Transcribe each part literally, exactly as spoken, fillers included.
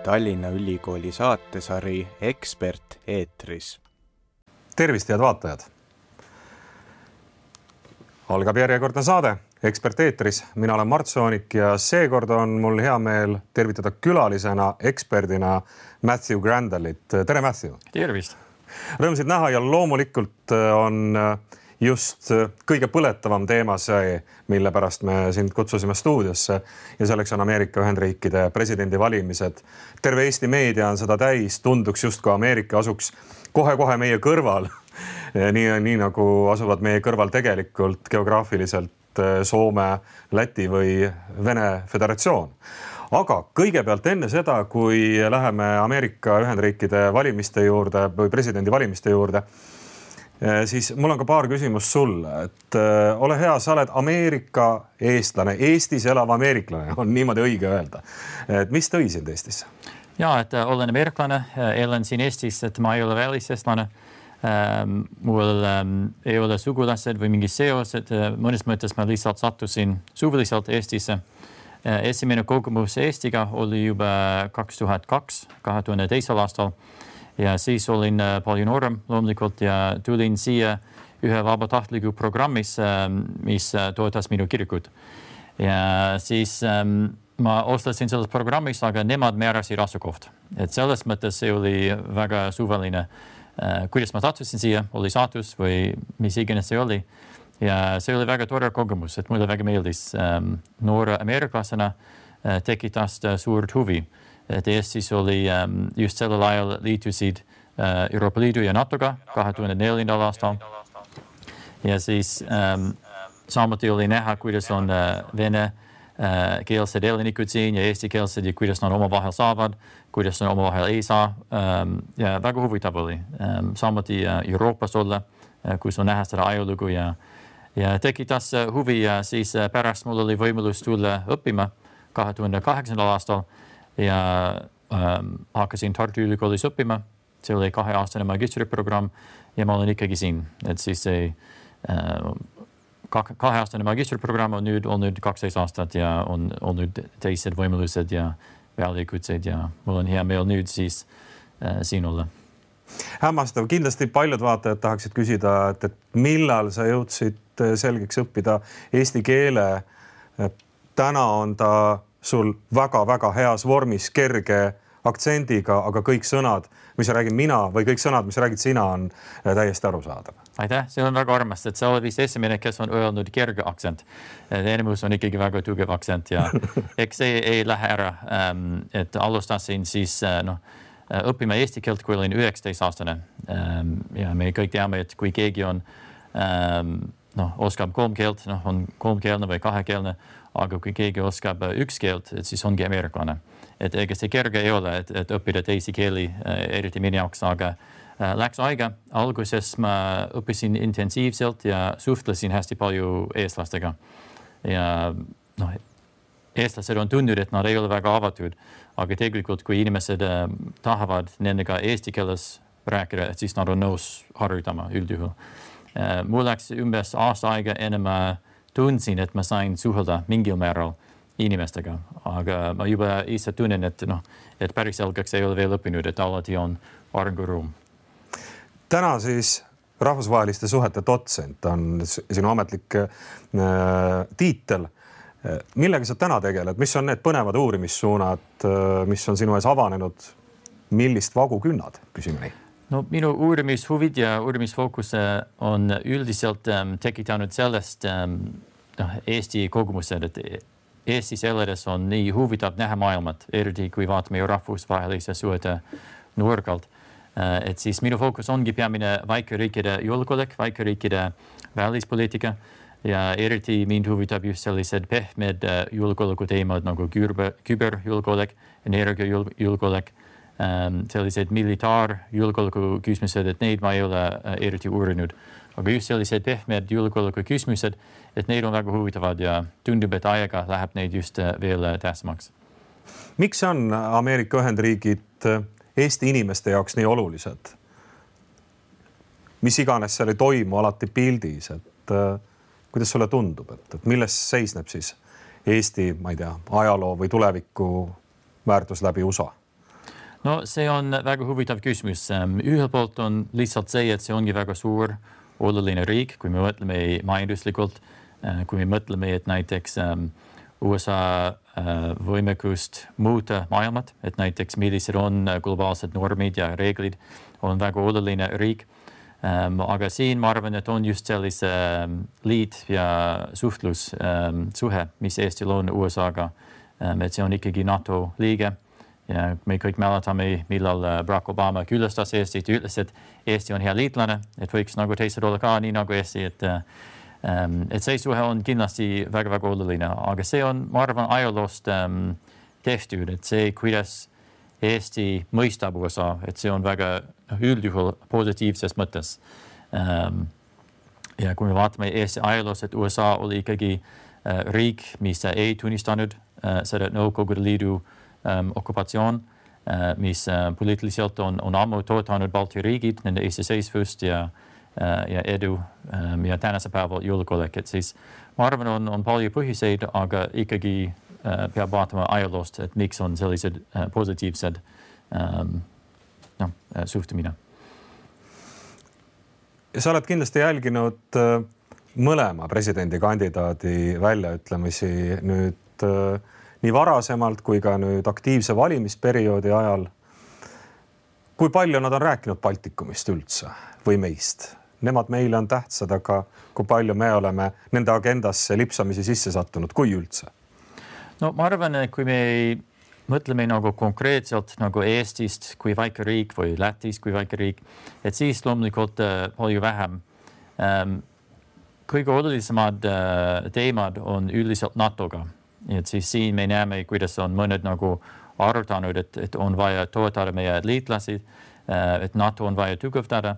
Tallinna Ülikooli saatesari Ekspert eetris. Tervist, head vaatajad! Algab järjekordne saade Ekspert eetris. Mina olen Mart Soonik ja seekord on mul hea meel tervitada külalisena, eksperdina Matthew Grandalit. Tere, Matthew! Tervist! Rõõmsid näha ja loomulikult on just kõige põletavam teema see, mille pärast me sind kutsusime stuudiosse ja selleks on Ameerika Ühendriikide presidendi valimised. Terve Eesti meedia on seda täis, tunduks just kui Ameerika asuks kohe-kohe meie kõrval, nii, nii nagu asuvad meie kõrval tegelikult geograafiliselt Soome, Läti või Vene Föderatsioon. Aga kõigepealt enne seda, kui läheme Ameerika Ühendriikide valimiste juurde või presidendi valimiste juurde, siis mul on ka paar küsimust sulle, et äh, ole hea, sa oled Ameerika eestlane, Eestis elav ameeriklane, on niimoodi õige öelda. Et mis tõi sind Eestisse? Ja, et äh, olen ameeriklane, elan siin Eestis, et ma ei ole väliseestlane. Ähm, mul ähm, ei ole sugulased või mingi seos, et äh, mõnes mõttes ma lihtsalt sattusin suviliselt Eestisse. Äh, esimene kogemus Eestiga oli juba kaks tuhat kaks, kahe tuhande teisel aastal. Ja siis olin palju noorem loomulikult ja tulin siia ühe vabatahtliku programmis, mis toetas minu kirikut. Ja siis ma oslasin selles programmis, aga nemad määrasid asukoht. Et selles mõttes see oli väga suvaline. Kuidas ma sattusin siia, oli saatus või mis iganes see oli. Ja see oli väga tore kogemus, et mulle väga meeldis noore ameeriklasena tekitas suurt huvi. Et Eestis oli um, just sellel ajal liitusid uh, Euroopa Liidu ja NATOga kahe tuhande neljandal aastal. Ja siis um, samuti oli näha, kuidas on uh, vene uh, keelsed elanikud siin ja eesti keelsed ja kuidas nad omavahel saavad, kuidas nad omavahel ei saa. Um, ja väga huvitav oli. Um, samuti uh, Euroopas olla, uh, kus on näha seda ajolugu ja, ja tekitas uh, huvi ja siis uh, pärast mul oli võimalus tulla õppima kahe tuhande kaheksandal aastal. Ja ähm, hakkasin Tartu Ülikoolis õppima. See oli kaheaastane magistriprogramm ja ma olen ikkagi siin. Et siis see äh, kaheaastane magistriprogramm on nüüd olnud kaksteist aastat ja on olnud teised võimalused ja väljakutsed ja mul on hea meel nüüd siis äh, siin olla. Hämmastav. Kindlasti paljud vaatajad tahaksid küsida, et, et millal sa jõudsid selgeks õppida eesti keele. Täna on ta sul väga-väga heas vormis, kerge aktsendiga, aga kõik sõnad, mis räägin mina või kõik sõnad, mis räägid sina, on täiesti arusaadav. Aitäh, see on väga armast, et sa oled vist esimene, kes on öelnud kerge aktsent. Enemus on ikkagi väga tugev aktsent ja eks see ei lähe ära. Et alustasin siis no, õppima eesti keelt, kui olin üheksateist aastane. Ja me kõik teame, et kui keegi on, no, oskab kolm keelt, no, on kolmkeelne või kahekeelne, aga kui keegi oskab üks keelt, et siis ongi ameeriklane. Et ega see kerge ei ole, et, et õppida teisi keeli, eriti minu jaoks, aga läks aega. Alguses ma õppisin intensiivselt ja suhtlesin hästi palju eestlastega. Ja no, eestlased on tundnud, et nad ei ole väga avatud, aga tegelikult kui inimesed tahavad nendega eesti keeles rääkida, et siis nad on nõus harjutama üldjuhul. Mul läks umbes aasta aega enne ma tundsin, et ma sain suhelda mingil määral inimestega, aga ma juba ise tunnen, et, no, et päris selgeks ei ole veel õppinud, et alati on arenguruum. Täna siis rahvusvaheliste suhete dotsent on sinu ametlik äh, tiitel. Millega sa täna tegeled? Mis on need põnevad uurimissuunad, mis on sinu ees avanenud? Millist vagu künnad? Küsime nii. No, minu uurimishuvid ja uurimisfookus on üldiselt ähm, tekitanud sellest ähm, no, Eesti kogemused, et Eestis elades on nii huvitav näha maailmat, eriti kui vaatame rahvusvahelise suhete nurgalt. Äh, et siis minu fookus ongi peamine väikeriikide julgeolek, väikeriikide välispoliitika ja eriti mind huvitab just sellised pehmed julgeoleku teemad nagu küberjulgeolek, energiajulgeolek. Um, sellised militaarjulgeoleku küsimused, et neid ma ei ole uh, eriti uurinud. Aga just sellised pehmed julgeoleku küsimused, et neid on väga huvitavad ja tundub, et aega läheb neid just uh, veel uh, tähtsamaks. Miks on Ameerika Ühendriigid Eesti inimeste jaoks nii olulised? Mis iganes seal ei toimu alati pildis, et uh, kuidas sulle tundub, et, et milles seisneb siis Eesti, ma ei tea, ajaloo või tuleviku väärtus läbi U S A? No see on väga huvitav küsimus. Ühel poolt on lihtsalt see, et see ongi väga suur oluline riik, kui me mõtleme majanduslikult, kui me mõtleme, et näiteks U S A võimekust muuta maailmat, et näiteks millised on globaalsed normid ja reeglid, on väga oluline riik. Aga siin ma arvan, et on just sellise liit ja suhtlus suhe, mis Eestil on U S A-ga, et see on ikkagi NATO liige. Ja me kõik mäletame, millal Barack Obama külastas Eestit ja ütles, et Eesti on hea liitlane, et võiks nagu teised olla ka nii nagu Eesti, et, et see suhe on kindlasti väga-väga oluline, aga see on, ma arvan, ajaloost tehtud, et see, kuidas Eesti mõistab U S A, et see on väga üldjuhul positiivses mõttes. Ja kui me vaatame Eesti ajaloos, et U S A oli ikkagi riik, mis ei tunnistanud seda Nõukogude Liidu Um, okupatsioon, uh, mis uh, poliitiliselt on, on ammu toetanud Balti riigid, nende iseseisvust ja, uh, ja edu um, ja tänase päeval julgeolek. Et siis ma arvan, on, on palju põhjuseid, aga ikkagi uh, peab vaatama ajaloost, et miks on sellised uh, positiivsed um, no, uh, suhtumine. Sa oled kindlasti jälginud uh, mõlema presidendikandidaadi väljaütlemisi nüüd uh, nii varasemalt kui ka nüüd aktiivse valimisperioodi ajal. Kui palju nad on rääkinud Baltikumist üldse või meist? Nemad meile on tähtsad, aga kui palju me oleme nende agendasse lipsamisi sisse sattunud, kui üldse? No ma arvan, et kui me mõtleme nagu konkreetselt nagu Eestist kui väike riik või Lätist kui väike riik, et siis loomulikult uh, palju vähem. Um, kõige olulisemad uh, teemad on üldiselt NATOga. Et siis siin me näeme, kuidas on mõned nagu arutanud, et, et on vaja toetada meie liitlasi, et NATO on vaja tugevdada.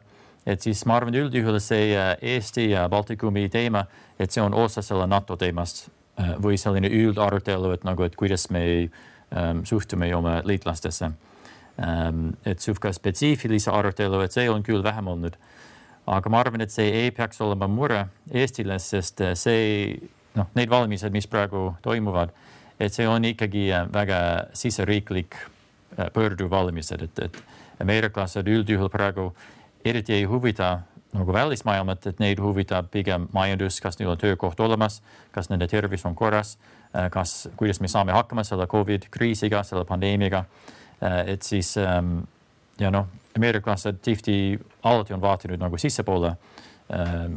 Et siis ma arvan üldjuhul see Eesti ja Baltikumi teema, et see on osa selle NATO teemast või selline üldarutelu, et, nagu, et kuidas me um, suhtume oma liitlastesse. Um, et suhka spetsiifilise arutelu, et see on küll vähem olnud. Aga ma arvan, et see ei peaks olema mure Eestile, sest see noh, need valimised, mis praegu toimuvad, et see on ikkagi väga siseriiklik pöörduv valimised, et, et ameeriklased üldjuhul praegu eriti ei huvita nagu välismaailmat, et neid huvitab pigem majandus, kas neil on töökoht olemas, kas nende tervis on korras, kas, kuidas me saame hakkama selle COVID-kriisiga, selle pandeemiaga, et siis ja noh, ameeriklased tihti alati on vaatinud nagu sissepoole,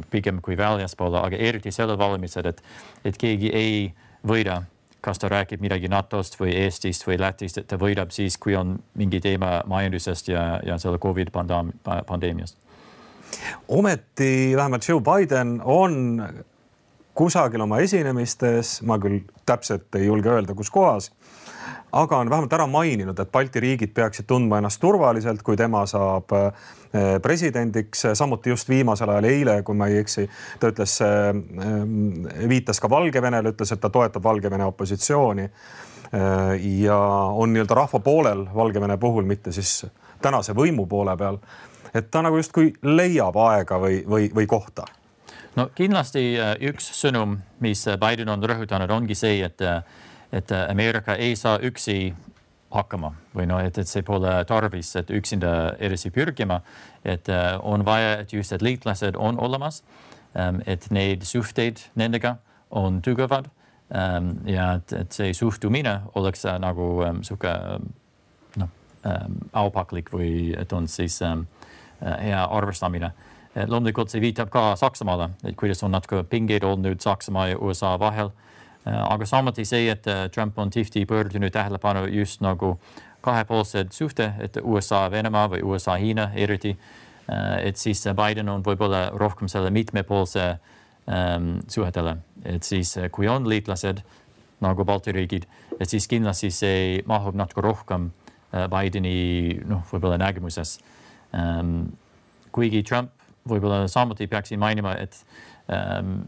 pigem kui väljaspoole, aga eriti selle valimised, et, et keegi ei võida, kas ta räägib midagi NATOst või Eestist või Lätist, et ta võidab siis, kui on mingi teema majandusest ja, ja selle COVID-pandeemiast. Ometi vähemalt Joe Biden on kusagil oma esinemistes, ma küll täpselt ei julge öelda, kus kohas, aga on vähemalt ära maininud, et Balti riigid peaksid tundma ennast turvaliselt, kui tema saab presidendiks. Samuti just viimasel ajal eile, kui ma ei eksi, ta ütles, viitas ka Valgevenele, ütles, et ta toetab Valgevene opositsiooni ja on nii-öelda rahva poolel Valgevene puhul, mitte siis tänase võimu poole peal. Et ta nagu just kui leiab aega või, või, või kohta. No kindlasti üks sõnum, mis Biden on rõhutanud, ongi see, et et Ameerika ei saa üksi hakkama või no, et, et see pole tarvis, et üksinda edasi pürgima, et on vaja, et just et liitlased on olemas, et neid suhteid nendega on tugevad ja et, et see suhtumine oleks nagu suke no, aupaklik või et on siis hea arvestamine. Loomulikult see viitab ka Saksamaale, et kuidas on natuke pingeid olnud Saksamaa ja U S A vahel. Aga samuti see, et Trump on tihti pöördunud tähelepanu just nagu kahepoolsed suhte, et U S A Venemaa või U S A Hiina eriti, et siis Biden on võib-olla rohkem selle mitmepoolse um, suhetele. Et siis kui on liitlased nagu Balti riigid, et siis kindlasti see mahub natuke rohkem Bideni noh, võib-olla nägemuses. Um, kuigi Trump võib-olla samuti peaksin mainima, et um,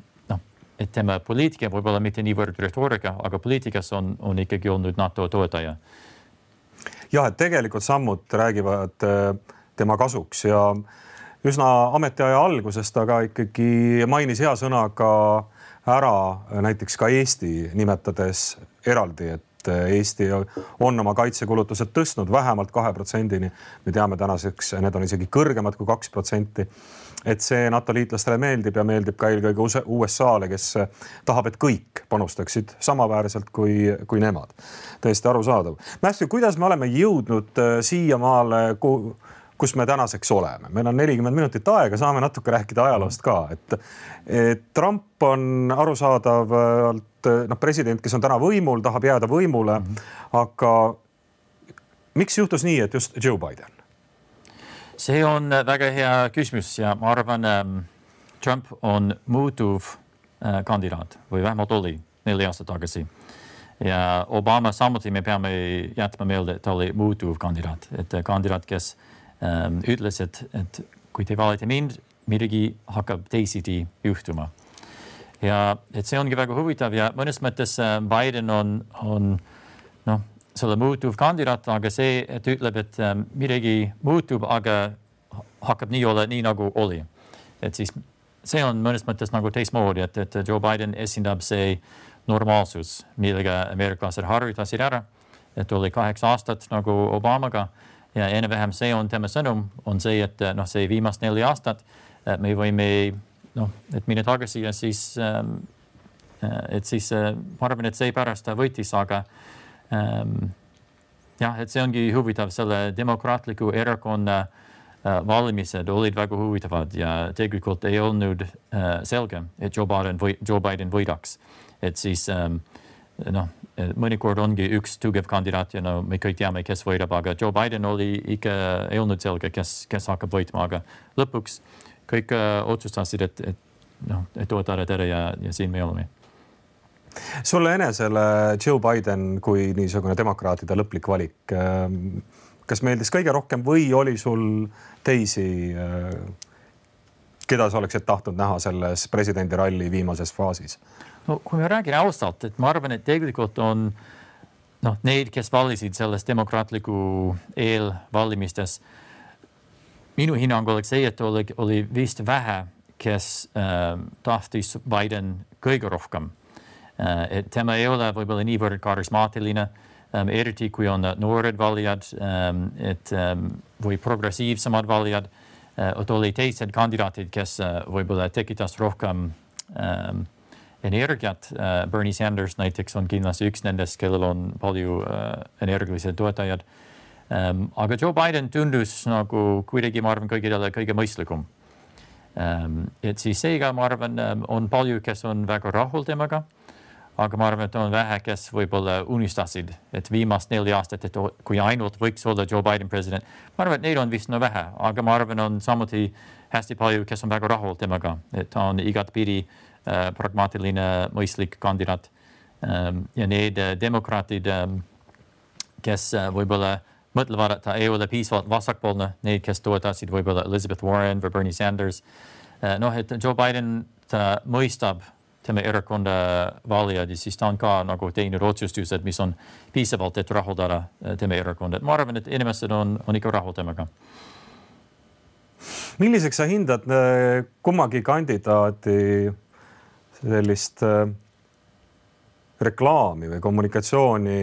et tema poliitika võib-olla mitte niivõrd retoorika, aga poliitikas on, on ikkagi olnud NATO toetaja. Jah, et tegelikult sammud räägivad tema kasuks ja üsna ametiaja algusest, aga ikkagi mainis hea sõnaga ära näiteks ka Eesti nimetades eraldi, et et Eesti on oma kaitsekulutused tõstnud vähemalt kahe protsendini. Me teame tänaseks, need on isegi kõrgemad kui kaks protsenti. Et see NATO liitlastele meeldib ja meeldib ka eelkõige U S A-le, kes tahab, et kõik panustaksid samaväärselt kui, kui nemad. Tõesti arusaadav. Matthew, kuidas me oleme jõudnud siiamaale, kus me tänaseks oleme? Meil on nelikümmend minutit aega, saame natuke rääkida ajaloost ka. Et, et Trump on arusaadavalt no, president, kes on täna võimul, tahab jääda võimule, mm-hmm. aga miks juhtus nii, et just Joe Biden? See on väga hea küsimus ja ma arvan, Trump on muutuv kandidaat või vähemalt oli neli aastat tagasi. Ja Obama samuti me peame jätma meelde, et ta oli muutuv kandidaat. Et kandidaat, kes ähm, ütles, et, et kui te valite mind, midagi hakkab teisiti juhtuma. Ja et see ongi väga huvitav ja mõnes mõttes Biden on, on noh, selle muutuv kandidaat, aga see, et ütleb, et midagi muutub, aga hakkab nii olla, nii nagu oli. Et siis see on mõnes mõttes nagu teistmoodi, et, et Joe Biden esindab see normaalsus, millega ameeriklased harjutasid ära, et oli kaheksa aastat nagu Obamaga ja enne vähem see on tema sõnum, on see, et noh, see viimast neli aastat me võime, noh, et minna tagasi ja siis, et siis ma arvan, et see pärast ta võitis, aga Um, jah, et see ongi huvitav, selle demokraatliku erakonna uh, valimised olid väga huvitavad ja tegelikult ei olnud uh, selge, et Joe Biden, või, Joe Biden võidaks. Et siis um, noh, mõnikord ongi üks tugev kandidaat ja no, me kõik teame, kes võidab, aga Joe Biden oli ikka, ei olnud selge, kes, kes hakkab võitma, aga lõpuks kõik uh, otsustasid, et, et, no, et toetada tere ja, ja siin me oleme. Sulle enesele Joe Biden kui niisugune demokraatide lõplik valik. Kas meeldis kõige rohkem või oli sul teisi, keda sa oleksid tahtnud näha selles presidendi ralli viimases faasis? No, kui me räägin ausalt, et ma arvan, et tegelikult on noh, neid, kes valisid selles demokraatliku eelvalimistes. Minu hinnang oleks see, et oli, oli vist vähe, kes äh, tahtis Biden kõige rohkem. Et tema ei ole võib-olla niivõrd karismaatiline, um, eriti kui on noored valijad, um, et um, või progressiivsemad valijad, uh, et oli teised kandidaatid, kes uh, võib-olla tekitas rohkem um, energiat. Uh, Bernie Sanders näiteks on kindlasti üks nendest, kellel on palju uh, energilised toetajad. Um, aga Joe Biden tundus nagu kuidagi, ma arvan, kõigile kõige mõistlikum. Um, et siis seega, ma arvan, um, on palju, kes on väga rahul temaga. Aga ma arvan, et on vähe, kes võib-olla unistasid, et viimast neli aastat, et kui ainult võiks olla Joe Biden president. Ma arvan, et neid on vist no vähe, aga ma arvan, on samuti hästi palju, kes on väga rahul temaga, et ta on igatpidi äh, pragmaatiline, mõistlik kandidaat. Ähm, ja need äh, demokraatid, ähm, kes äh, võib-olla mõtlevad, et ta ei ole piisavalt vasakpoolne, need, kes toetasid võib-olla Elizabeth Warren või Bernie Sanders. Äh, noh, et Joe Biden ta mõistab tema erakonda valijad ja siis ta on ka nagu teinud otsustused, mis on piisavalt, et rahuldada tema erakonda. Ma arvan, et inimesed on, on ikka rahul temaga. Milliseks sa hindad kummagi kandidaadi sellist reklaami või kommunikatsiooni,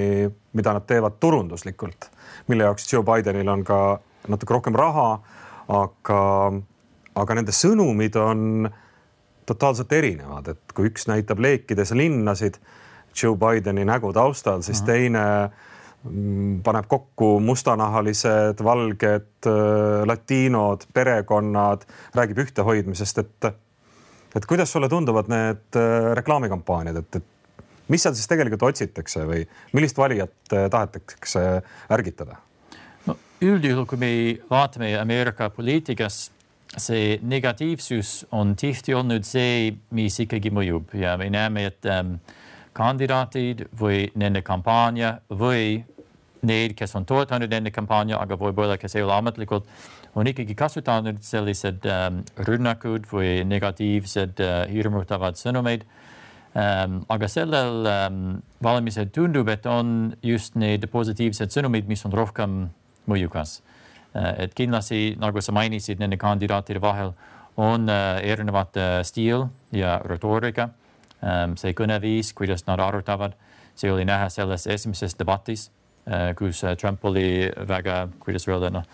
mida nad teevad turunduslikult, mille jaoks Joe Bidenil on ka natuke rohkem raha, aga, aga nende sõnumid on totaalselt erinevad, et kui üks näitab leekides linnasid Joe Bideni nägu taustal, siis teine paneb kokku mustanahalised, valged, latiinod, perekonnad, räägib ühtehoidmisest, et, et kuidas sulle tunduvad need reklaamikampaaniad, et, et mis seal siis tegelikult otsitakse või millist valijat tahetakse ärgitada? No, üldjuhul, kui me vaatame Ameerika poliitikas, see negatiivsus on tihti olnud see, mis ikkagi mõjub ja me näeme, et ähm, kandidaatid või nende kampaania või need, kes on toetanud nende kampaania, aga võib-olla, kes ei ole ametlikult, on ikkagi kasutanud sellised ähm, rünnakud või negatiivsed äh, hirmutavad sõnumeid. Ähm, aga sellel ähm, valimisel tundub, et on just need positiivsed sõnumid, mis on rohkem mõjukas. Et kindlasti, nagu sa mainisid, nende kandidaatide vahel on erinevat stiil ja retoorika. See kõneviis, kuidas nad arutavad, see oli näha selles esimeses debatis, kus Trump oli väga, kuidas öelda, no,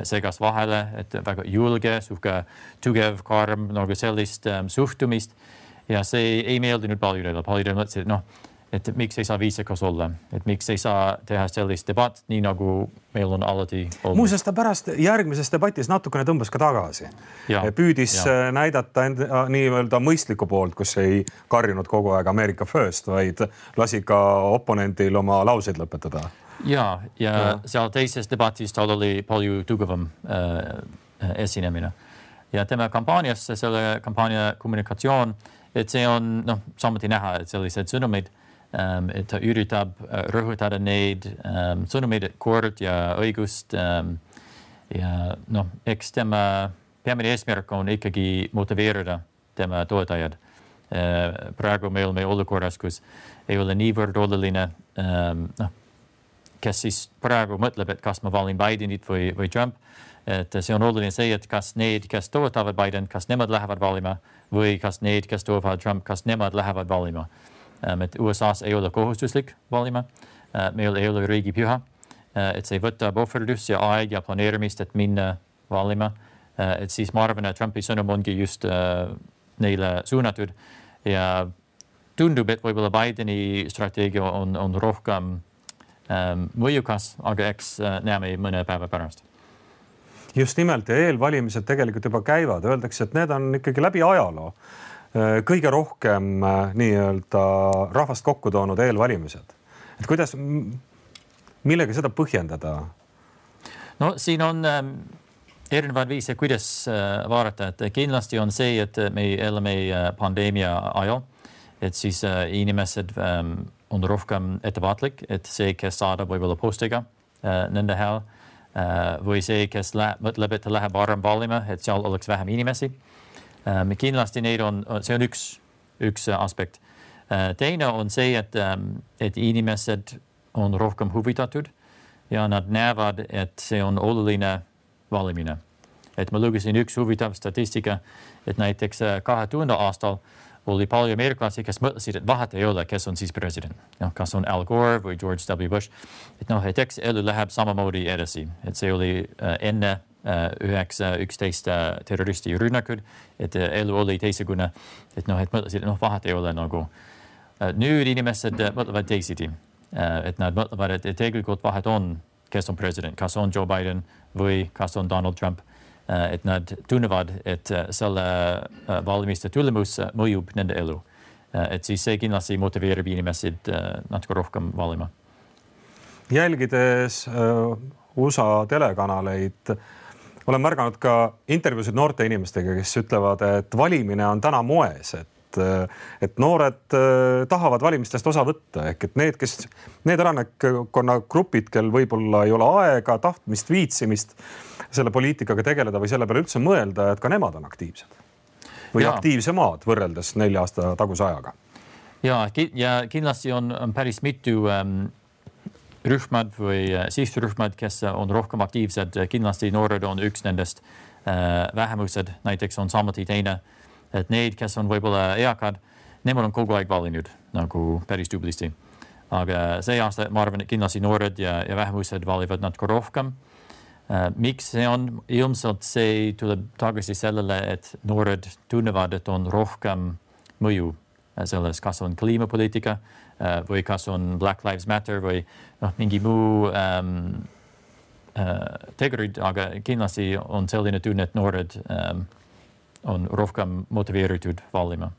segas vahele, et väga julge, suhke tugev, karm, nagu sellist um, suhtumist. Ja see ei meeldinud paljudele. Paljudele mõtlesid, noh, et miks ei saa viisakas olla, et miks ei saa teha sellist debatt, nii nagu meil on alati olnud. Muuseas ta pärast järgmises debatis natukene tõmbas ka tagasi. Ja, püüdis ja. näidata end, nii-öelda mõistliku poolt, kus ei karjunud kogu aeg America First, vaid lasi ka oponendil oma lauseid lõpetada. Ja, ja, ja. seal teises debatis tal oli palju tugevam äh, esinemine. Ja tema kampaaniasse, selle kampaania kommunikatsioon, et see on noh, samuti näha, et sellised sõnumid, Um, et ta üritab uh, rõhutada neid um, sõnumeid, kord ja õigust um, ja noh, eks tema peamine eesmärk on ikkagi motiveerida tema toetajad. Uh, praegu meil me olukorras, kus ei ole niivõrd oluline, um, noh, kes siis praegu mõtleb, et kas ma valin Bidenit või, või Trump. Et see on oluline see, et kas need, kes toetavad Biden, kas nemad lähevad valima või kas need, kes toetavad Trump, kas nemad lähevad valima. Et U S A's ei ole kohustuslik valima, meil ei ole riigipüha, et see võtab ohverdus ja aeg ja planeerimist, et minna valima. Et siis ma arvan, et Trumpi sõnum ongi just neile suunatud ja tundub, et võib-olla Bideni strateegia on, on rohkem um, mõjukas, aga eks näeme mõne päeva pärast. Just nimelt ja eelvalimised tegelikult juba käivad, öeldakse, et need on ikkagi läbi ajaloo kõige rohkem nii-öelda rahvast kokku toonud eelvalimised. Et kuidas, millega seda põhjendada? No siin on ähm, erinevad viise, kuidas äh, vaadata, et kindlasti on see, et me elame pandeemia ajal, et siis äh, inimesed ähm, on rohkem ettevaatlik, et see, kes saadab võib-olla postiga äh, nende hääl äh, või see, kes lä- mõtleb, et läheb varem valima, et seal oleks vähem inimesi. Um, kindlasti neid on, see on üks, üks aspekt. Uh, teine on see, et, um, et inimesed on rohkem huvitatud ja nad näevad, et see on oluline valimine. Et ma lugesin üks huvitav statistika, et näiteks kahe tuhande aastal oli palju ameeriklasi, kes mõtlesid, et vahet ei ole, kes on siis president. No, kas on Al Gore või George W. Bush. Et noh, et eks elu läheb samamoodi edasi. Et see oli uh, enne üheksa, üksteist terroristi rünnakud, et elu oli teisegune, et noh, et mõtlesid, noh, vahet ei ole nagu. Nüüd inimesed mõtlevad teisiti, et nad mõtlevad, et tegelikult vahet on, kes on president, kas on Joe Biden või kas on Donald Trump, et nad tunnevad, et selle valimiste tulemus mõjub nende elu. Et siis see kindlasti motiveerib inimesed natuke rohkem valima. Jälgides U S A telekanaleid, olen märganud ka intervjuusid noorte inimestega, kes ütlevad, et valimine on täna moes, et, et noored tahavad valimistest osa võtta. Ehk et need, kes, need elanikkonna grupid, kel võib-olla ei ole aega, tahtmist, viitsimist selle poliitikaga tegeleda või selle peale üldse mõelda, et ka nemad on aktiivsed. Või ja. aktiivsemad võrreldes nelja aasta taguse ajaga. Ja, ja kindlasti on, on päris mitu um... rühmad või sihtrühmad, kes on rohkem aktiivsed, kindlasti noored on üks nendest äh, vähemused, näiteks on samuti teine, et need, kes on võib-olla eakad, nemad on kogu aeg valinud nagu päris tublisti. Aga see aasta ma arvan, et kindlasti noored ja, ja vähemused valivad natuke rohkem. Äh, miks see on? Ilmselt see tuleb tagasi sellele, et noored tunnevad, et on rohkem mõju selles, kas on kliimapoliitika või kas on Black Lives Matter või noh, mingi muu ähm, äh, tegurid, aga kindlasti on selline tunne, et noored ähm, on rohkem motiveeritud valima.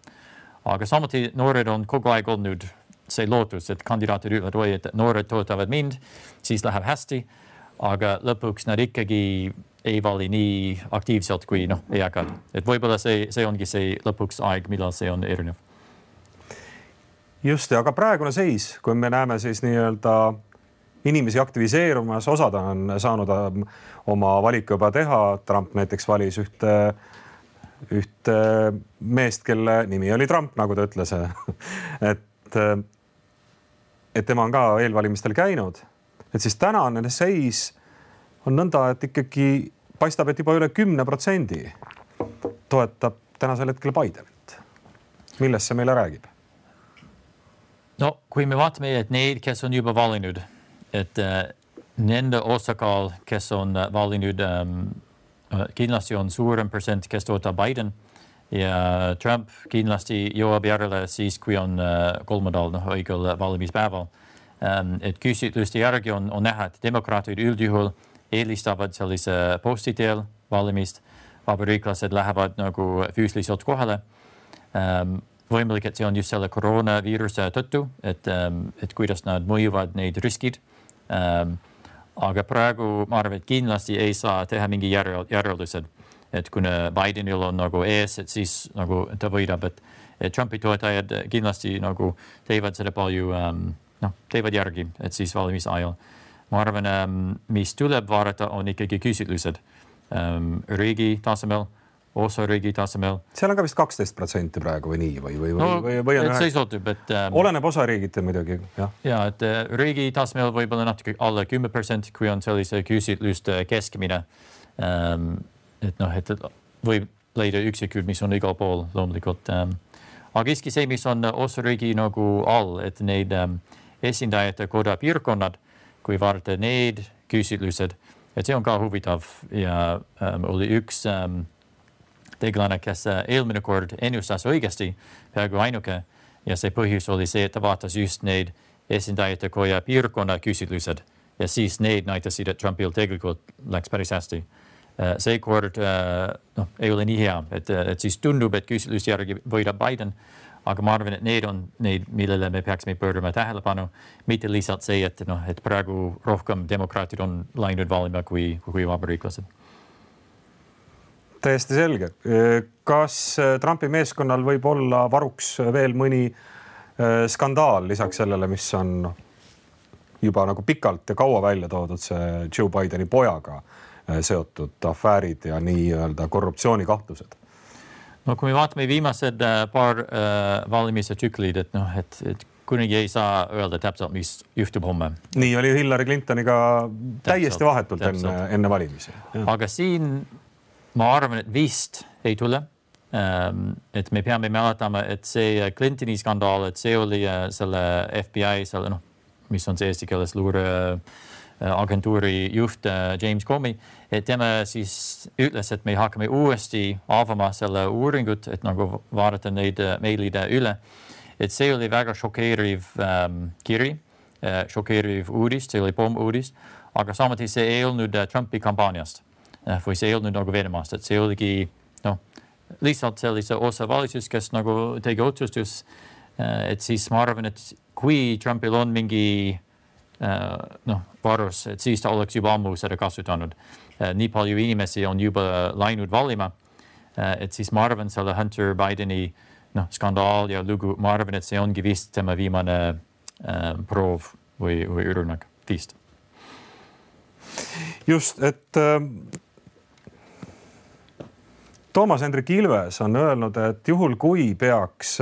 Aga samuti noored on kogu aeg olnud see lootus, et kandidaatid ütlevad, oi, et noored toetavad mind, siis läheb hästi, aga lõpuks nad ikkagi ei vali nii aktiivselt kui noh, eakad. Et võib-olla see, see ongi see lõpuks aeg, millal see on erinev. Just, aga praegune seis, kui me näeme siis nii-öelda inimesi aktiviseerumas, osad on saanud oma valiku juba teha. Trump näiteks valis ühte, ühte meest, kelle nimi oli Trump, nagu ta ütles. et, et tema on ka eelvalimistel käinud. Et siis tänane seis on nõnda, et ikkagi paistab, et juba üle kümne protsendi toetab tänasel hetkel Bidenit. Millest see meile räägib? No, kui me vaatame, et neid, kes on juba valinud, et äh, nende osakaal, kes on valinud, ähm, kindlasti on suurem protsent, kes toetab Biden ja Trump kindlasti jõuab järele siis, kui on äh, kolmandal no, õigel valimispäeval. Ähm, et küsitluste järgi on, on näha, et demokraatid üldjuhul eelistavad sellise posti teel valimist, vabariiklased lähevad nagu füüsiliselt kohale. Ähm, võimalik, et see on just selle koroonaviiruse tõttu, et, et kuidas nad mõjuvad neid riskid. Ähm, aga praegu ma arvan, et kindlasti ei saa teha mingi järeldused, et kuna Bidenil on nagu ees, et siis nagu ta võidab, et, et Trumpi toetajad kindlasti nagu teevad seda palju, ähm, noh, teevad järgi, et siis valimise ajal. Ma arvan, ähm, mis tuleb vaadata, on ikkagi küsitlused ähm, riigi tasemel, osa riigi tasemel. Seal on ka vist kaksteist protsenti praegu või nii või, või, no, või, või on et see sõltub, et ähm, oleneb osa riigite muidugi. Ja, ja et äh, riigi tasemel võib-olla natuke alla kümme protsenti, kui on sellise küsitluste keskmine. Ähm, et noh, et võib leida üksikud, mis on igal pool loomulikult. Ähm, aga iski see, mis on osa riigi nagu all, et neid ähm, esindajate koda piirkonnad, kui vaadata neid küsitlused, et see on ka huvitav ja ähm, oli üks ähm, tegelane, kes eelmine kord ennustas õigesti, peaaegu ainuke, ja see põhjus oli see, et ta vaatas just neid esindajate koja piirkonna küsitlused ja siis neid näitasid, et Trumpil tegelikult läks päris hästi. See kord no, ei ole nii hea, et, et siis tundub, et küsitluse järgi võidab Biden, aga ma arvan, et need on neid, millele me peaksime pöörama tähelepanu, mitte lihtsalt see, et, no, et praegu rohkem demokraatid on läinud valima kui, kui vabariiklased. Täiesti selge. Kas Trumpi meeskonnal võib olla varuks veel mõni skandaal lisaks sellele, mis on juba nagu pikalt ja kaua välja toodud see Joe Bideni pojaga seotud afäärid ja nii-öelda korruptsioonikahtlused? No kui me vaatame viimased paar äh, valimise tsüklid, et, noh, et, et kunagi ei saa öelda täpselt, mis juhtub homme. Nii oli Hillary Clintoniga täiesti täpselt, vahetult täpselt. Enne, enne valimisi. Ja. Aga siin ma arvan, et vist ei tule. Ähm, et me peame mäletama, et see Clintoni skandaal, et see oli selle F B I, selle, noh, mis on see eesti keeles luure agentuuri juht James Comey, et tema siis ütles, et me hakkame uuesti avama selle uuringut, et nagu vaadata neid meilide üle. Et see oli väga šokeeriv ähm, kiri, äh, šokeeriv uudis, see oli pomm uudis, aga samuti see ei olnud Trumpi kampaaniast või see ei olnud nagu Venemaast, et see oligi no, lihtsalt sellise osa valitsus, kes nagu tegi otsustus, et siis ma arvan, et kui Trumpil on mingi no, varus, et siis ta oleks juba ammu seda kasutanud. Nii palju inimesi on juba läinud valima, et siis ma arvan selle Hunter Bideni no, skandaal ja lugu, ma arvan, et see ongi vist tema viimane äh, proov või, või ürünak vist. Just, et äh... Toomas Hendrik Ilves on öelnud, et juhul kui peaks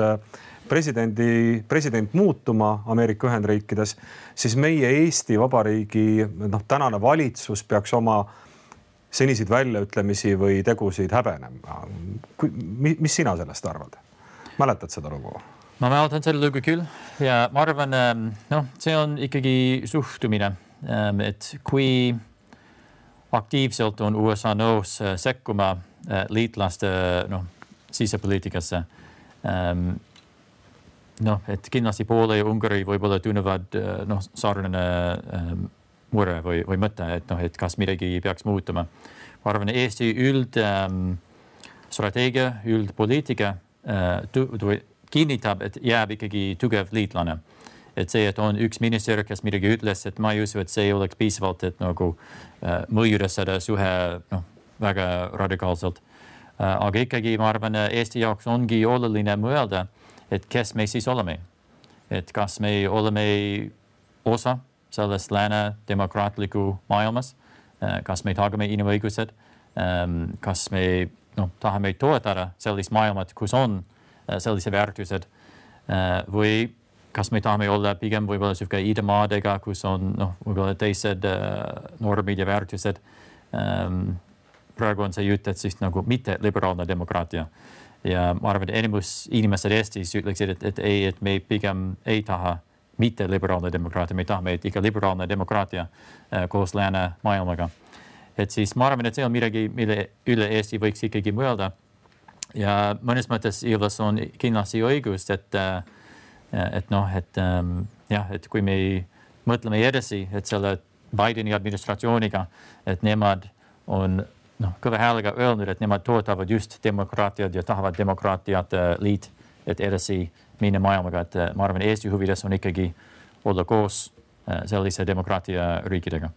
presidendi, president muutuma Ameerika Ühendriikides, siis meie Eesti Vabariigi noh, tänane valitsus peaks oma seniseid väljaütlemisi või tegusid häbenema. Mis sina sellest arvad? Mäletad seda lugu? Ma mäletan seda lugu küll ja ma arvan, no, see on ikkagi suhtumine, et kui aktiivselt on U S A nõus sekkuma liitlaste no, sisepoliitikasse. Ähm, no, et kindlasti Poola ja Ungari võib-olla tunnevad no, sarnane ähm, mure või, või mõte, et, no, et kas midagi peaks muutuma. Ma arvan, Eesti üld ähm, strateegia, üldpoliitika äh, tu, tu, kinnitab, et jääb ikkagi tugev liitlane. Et see, et on üks minister, kes midagi ütles, et ma ei usu, et see oleks piisavalt, et nagu äh, mõjuda seda suhe no, väga radikaalselt. Aga ikkagi ma arvan, Eesti jaoks ongi oluline mõelda, et kes me siis oleme. Et kas me oleme osa sellest lääne demokraatliku maailmas, kas me tagame inimõigused, kas me no, tahame toetada sellist maailmat, kus on sellise väärtused või kas me tahame olla pigem võib-olla suhke idamaadega, kus on no, võib-olla teised normid ja väärtused. Praegu on see jutt, et siis nagu mitte liberaalne demokraatia. ja ma arvan, et enamus inimesed Eestis ütleksid, et, et ei, et me pigem ei taha mitte liberaalne demokraatia, me tahame, et ikka liberaalne demokraatia äh, koos lääne maailmaga. Et siis ma arvan, et see on midagi, mille üle Eesti võiks ikkagi mõelda. Ja mõnes mõttes Ilves on kindlasti õigust, et, et noh, et jah, et kui me mõtleme edasi, et selle Bideni administratsiooniga, et nemad on noh, kõva häälega öelnud, et nemad toetavad just demokraatiat ja tahavad demokraatiat liit, et edasi minna maailmaga, et ma arvan, Eesti huvides on ikkagi olla koos sellise demokraatia riikidega.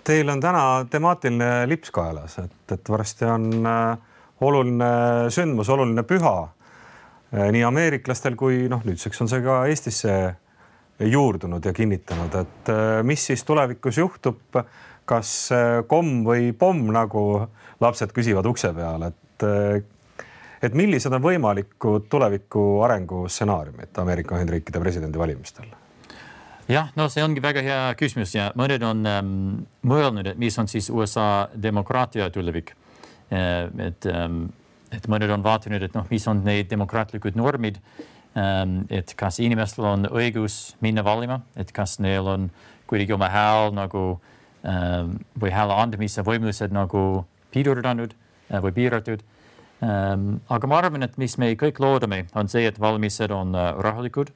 Teil on täna temaatiline lips kaelas, et, et varsti on oluline sündmus, oluline püha nii ameeriklastel kui noh, nüüdseks on see ka Eestisse juurdunud ja kinnitanud, et mis siis tulevikus juhtub, kas komm või pomm, nagu lapsed küsivad ukse peal, et, et millised on võimalikud tuleviku arengu stsenaariumid Ameerika Ühendriikide presidendi valimistel? Jah, no see ongi väga hea küsimus ja mõned on ähm, mõelnud, et mis on siis U S A demokraatia tulevik. Et, et mõned on vaatanud, et noh, mis on need demokraatlikud normid, et kas inimestel on õigus minna valima, et kas neil on kuidagi oma hääl nagu või hääle andamise võimalused nagu piirdunud või piiratud. Aga ma arvan, et mis me kõik loodame, on see, et valimised on rahulikud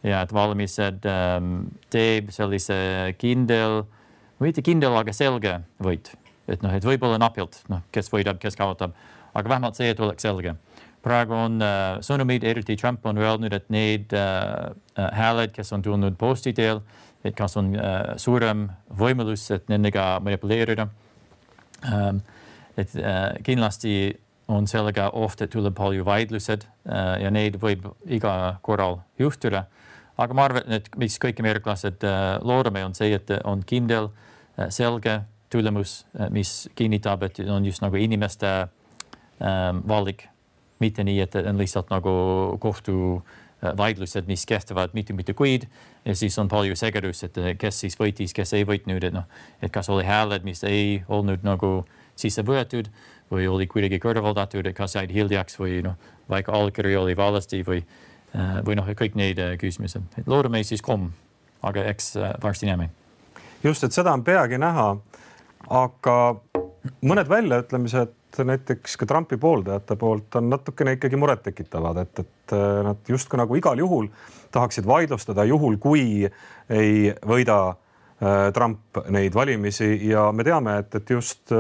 ja et valimised teeb sellise kindel, mitte kindel, aga selge võit. Et noh, et võib-olla napilt, noh, kes võidab, kes kaotab, aga vähemalt see, et oleks selge. Praegu on äh, sõnumid, eriti Trump on öelnud, et need äh, hääled, kes on tulnud posti teel, et kas on äh, suurem võimalus, et nendega manipuleerida. Ähm, et äh, kindlasti on sellega oht, et tuleb palju vaidlused äh, ja neid võib iga korral juhtuda. Aga ma arvan, et mis kõik ameeriklased äh, loodame, on see, et on kindel, äh, selge, tulemus, mis kinnitab, et on just nagu inimeste ähm, valik, mitte nii, et on lihtsalt nagu kohtu vaidlused, mis kehtivad mitte mitte kuid ja siis on palju segedus, et kes siis võitis, kes ei võitnud, et noh, et kas oli hääled, mis ei olnud nagu sisse võetud või oli kuidagi kõrvaldatud, et kas jäid hiljaks või noh, vaikka allkiri oli valesti või, või noh, kõik neid küsimused. Loodame siis komm, aga eks varsti näeme. Just, et seda on peagi näha. Aga mõned väljaütlemised näiteks ka Trumpi pooldajate poolt on natukene ikkagi muret tekitavad, et, et nad justkui nagu igal juhul tahaksid vaidlustada juhul, kui ei võida Trump neid valimisi ja me teame, et, et just,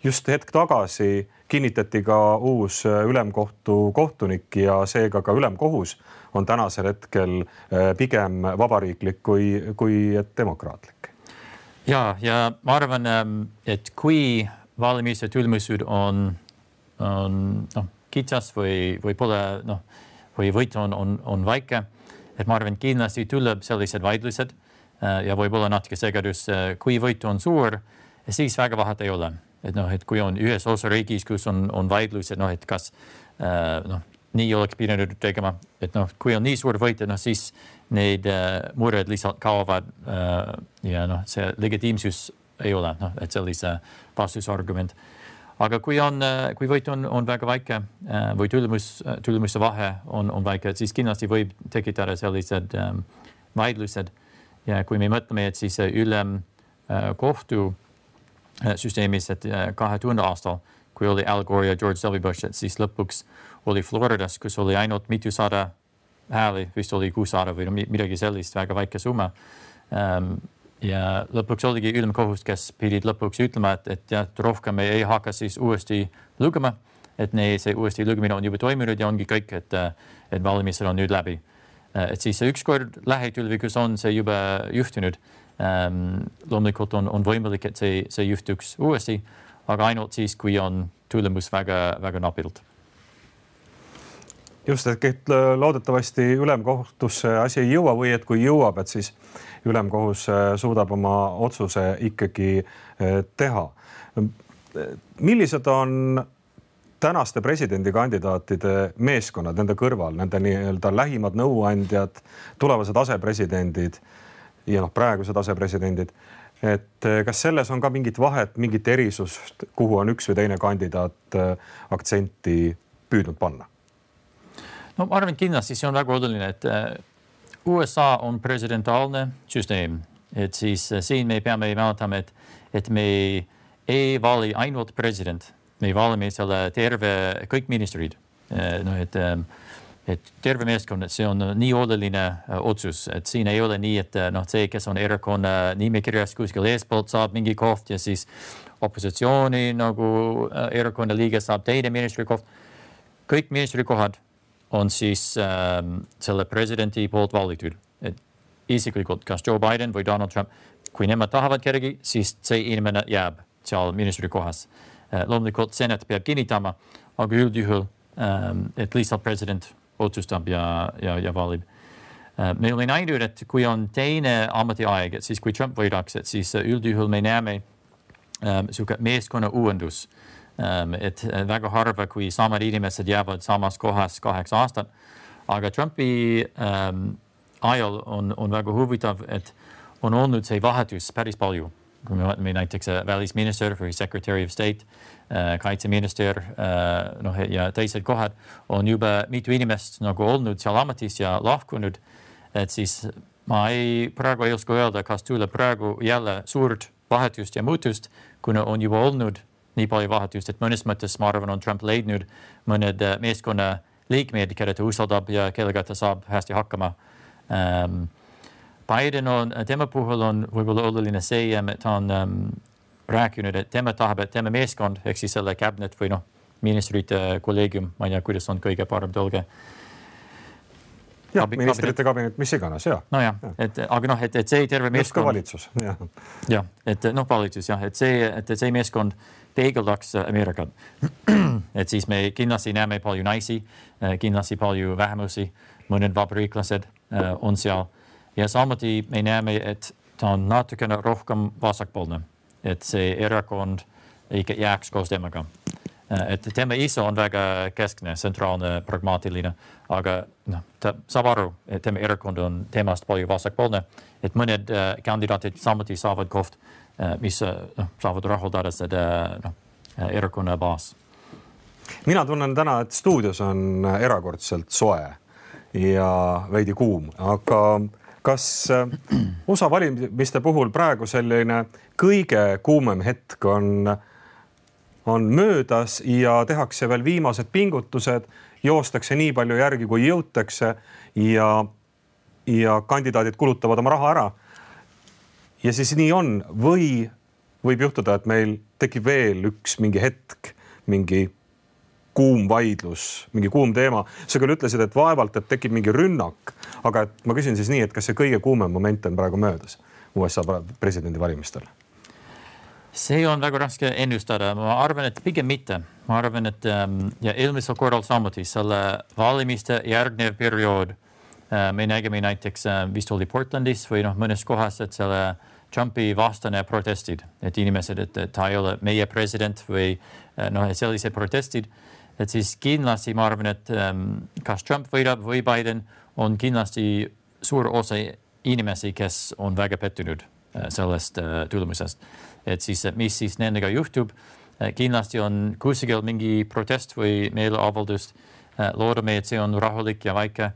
just hetk tagasi kinnitati ka uus ülemkohtu kohtunik ja seega ka ülemkohus on tänasel hetkel pigem vabariiklik kui, kui demokraatlik. Ja, ja ma arvan, et kui valimise tulemused on, on no, kitsas või, või pole, noh, või võit on, on, on väike, et ma arvan, kindlasti tuleb sellised vaidlused ja võib-olla natuke segedus, kui võit on suur, siis väga vahet ei ole. Et noh, et kui on ühes osariigis, kus on, on vaidlused, noh, et kas noh, nii oleks pidanud tegema, et noh, kui on nii suur võit, noh, siis need uh, mured lihtsalt kaovad uh, ja noh, see legitiimsus ei ole, noh, et sellise vastusargument. Aga kui on, uh, kui võit on, on väga väike uh, või tulemus, uh, tulemuse vahe on, on väike, siis kindlasti võib tekitada sellised um, vaidlused. Ja kui me mõtleme, et siis ülem uh, kohtu uh, süsteemis, et uh, kahe tuhande aastal, kui oli Al Gore ja George W. Bush, et siis lõpuks oli Floridas, kus oli ainult mitusada hääli, vist oli kuussada või midagi sellist, väga väike summa. Um, ja lõpuks oligi ülemkohus, kes pidid lõpuks ütlema, et, et, et rohkem ei hakka siis uuesti lugema, et ne, see uuesti lugemine on juba toimunud ja ongi kõik, et, et valimised on nüüd läbi. Et siis ükskord lähitulevikus on see juba juhtunud. Um, loomulikult on, on võimalik, et see, see juhtuks uuesti, aga ainult siis, kui on tulemus väga, väga napilt. Just, et loodetavasti ülemkohtusse asi ei jõua või et kui jõuab, et siis ülemkohus suudab oma otsuse ikkagi teha. Millised on tänaste presidendikandidaatide meeskonnad nende kõrval, nende nii-öelda lähimad nõuandjad, tulevased asepresidendid ja noh, praegused asepresidendid. Et kas selles on ka mingit vahet, mingit erisust, kuhu on üks või teine kandidaat aktsenti püüdnud panna? No ma arvan, kindlasti see on väga oluline, et U S A on presidentaalne süsteem. Et siis siin me peame mäletama, et, et me ei vali ainult president. Me valime selle terve, kõik ministrid. No, et, et terve meeskond, et see on nii oluline otsus, et siin ei ole nii, et noh, see, kes on erakonna nimekirjas kuskil eespoolt saab mingi koht ja siis opositsiooni nagu erakonna liige saab teine ministri koht. Kõik ministri kohad on siis ähm, selle presidenti poolt valitud. Et isiklikult, kas Joe Biden või Donald Trump, kui nemad tahavad kedagi, siis see inimene jääb seal ministri kohas. Äh, loomulikult senat peab kinnitama, aga üldjuhul, ähm, et lihtsalt president otsustab ja, ja, ja valib. Äh, me oleme näinud, et kui on teine ametiaeg, et siis kui Trump võidaks, et siis üldjuhul me näeme ähm, suke meeskonna uuendus. Um, et väga harva, kui samad inimesed jäävad samas kohas kaheks aastat. Aga Trumpi um, ajal on, on väga huvitav, et on olnud see vahetus päris palju. Kui me vaatame näiteks välisminister või Secretary of State, uh, kaitseminister uh, no, ja teised kohad on juba mitu inimest nagu olnud seal ametis ja lahkunud. Et siis ma ei, praegu ei oska öelda, kas tuleb praegu jälle suurt vahetust ja muutust, kuna on juba olnud nii palju vahetust, et mõnes mõttes ma arvan, on Trump leidnud mõned meeskonna liikmed, keda ta usaldab ja kellega ta saab hästi hakkama. Um, Biden on, tema puhul on võib-olla oluline see, et ta on um, rääkinud, et tema tahab, et tema meeskond, ehk siis selle cabinet või noh, ministrite kolleegium, ma ei tea, kuidas on kõige parem tõlge. Jah, ministrite kabinet, mis iganes, jah. No jah, ja. Et, aga noh, et, et see terve meeskond... valitsus, jah. Jah, et noh, valitsus, jah, et see, et see meeskond peegeldaks Ameerikat. Et siis me kindlasti näeme palju naisi, kindlasti palju vähemusi, mõned vabariiklased on seal. Ja samuti me näeme, et ta on natukene rohkem vasakpoolne, et see erakond ikka jääks koos temaga. Et tema ise on väga keskne, sentraalne, pragmaatiline, aga no, ta saab aru, et tema erakond on temast palju vasakpoolne, et mõned uh, kandidaatid samuti saavad koht, uh, mis uh, saavad rahuldada seda no, erakonna baas. Mina tunnen täna, et stuudios on erakordselt soe ja veidi kuum, aga kas U S A valimiste puhul praegu selline kõige kuumem hetk on on möödas ja tehakse veel viimased pingutused, joostakse nii palju järgi, kui jõutakse ja, ja kandidaadid kulutavad oma raha ära. Ja siis nii on või võib juhtuda, et meil tekib veel üks mingi hetk, mingi kuum vaidlus, mingi kuum teema. Sa küll ütlesid, et vaevalt, et tekib mingi rünnak, aga et ma küsin siis nii, et kas see kõige kuumem moment on praegu möödas U S A presidendi valimistel? See on väga raske ennustada. Ma arvan, et pigem mitte. Ma arvan, et um, ja eelmisel korral samuti selle valimiste järgnev periood uh, me nägime näiteks uh, vist oli Portlandis või noh, mõnes kohas, et selle Trumpi vastane protestid, et inimesed, et, et ta ei ole meie president või uh, noh, sellised protestid, et siis kindlasti ma arvan, et um, kas Trump võidab või Biden on kindlasti suur osa inimesi, kes on väga pettunud uh, sellest uh, tulemusest. Et siis, mis siis nendega juhtub, kindlasti on kuskil mingi protest või meeleavaldust. Loodame, et see on rahulik ja väike.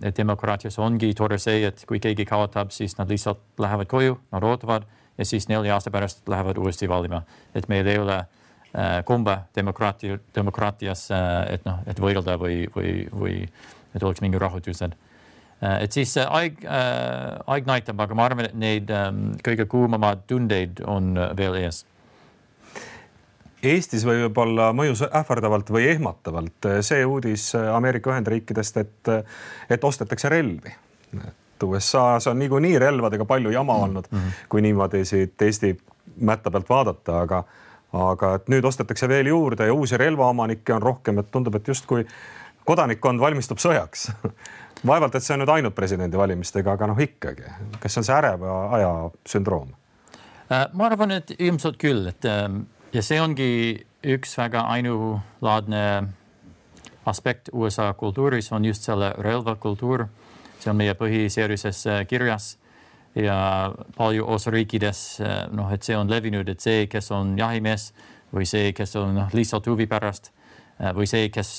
Et demokraatias ongi tore see, et kui keegi kaotab, siis nad lihtsalt lähevad koju, nad ootavad ja siis nelja aasta pärast lähevad uuesti valima. Et meil ei ole kumba demokraati, demokraatias, et, no, et võidelda või, või, või et oleks mingi rahutused. Et siis aeg, äh, aeg näitab, aga ma arvan, et neid ähm, kõige kuumamad tundeid on veel ees. Eestis võib olla mõjus ähvardavalt või ehmatavalt see uudis Ameerika Ühendriikidest, et, et ostetakse relvi. Et U S A-s on niikuinii relvadega palju jama olnud, mm-hmm. kui niimoodi siit Eesti mätta pealt vaadata, aga, aga et nüüd ostetakse veel juurde ja uusi relvaomanikke on rohkem, et tundub, et just kui kodanikkond valmistub sõjaks. Vaevalt, et see on nüüd ainult presidendi valimistega, aga noh ikkagi. Kas on see äreva aja sündroom? Ma arvan, et ilmselt küll. Et, ja see ongi üks väga ainulaadne aspekt U S A kultuuris, on just selle relvakultuur. See on meie põhiseaduses kirjas. ja palju osariikides, noh, et see on levinud, et see, kes on jahimees või see, kes on noh, lihtsalt huvi pärast või see, kes